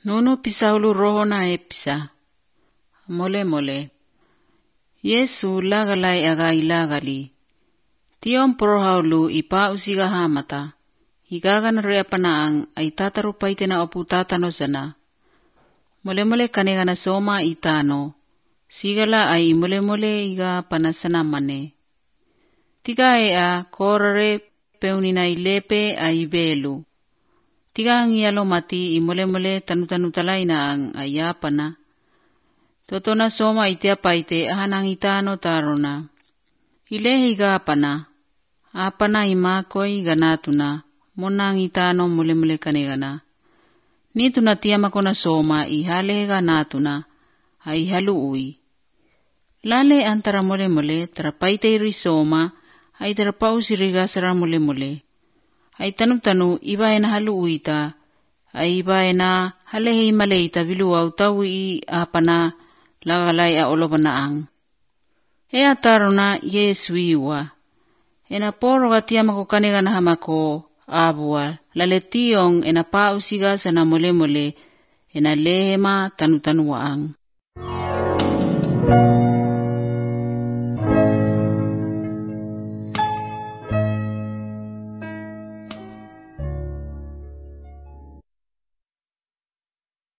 Nunu pisaulu roho na episa. Mole. Yesu lagalai aga ilagali. Tiom prohaulu ipa usiga hamata. Higagan rea panaang ay tatarupaite na opu tatano sana. Mole kanegana soma itano. Sigala ay mole iga panasana mane. Tiga ea korare peunina ilepe ay belu. Tiga ang iyalo mati mole tanu-talay na ang ayapana. Totona soma itia paite ahanang itano tarona. Ilehiga apana. Apana imakoy ganatuna. Monang itano mole kanegana. Nituna tiamako na soma ihale ganatuna. Ay haluui. Lale antara mole tarapaite iri soma ay tarapau sirigasara mole. Ay tanu iba na haluuita. Ay iba na halehi maleita biluaw tawi apana lagalay a olobanaang. E atarona Yesu iwa. Enaporo katiamako kanegana hamako abua laletiong enapau siga sana mole enalehema tanu-tanuaang.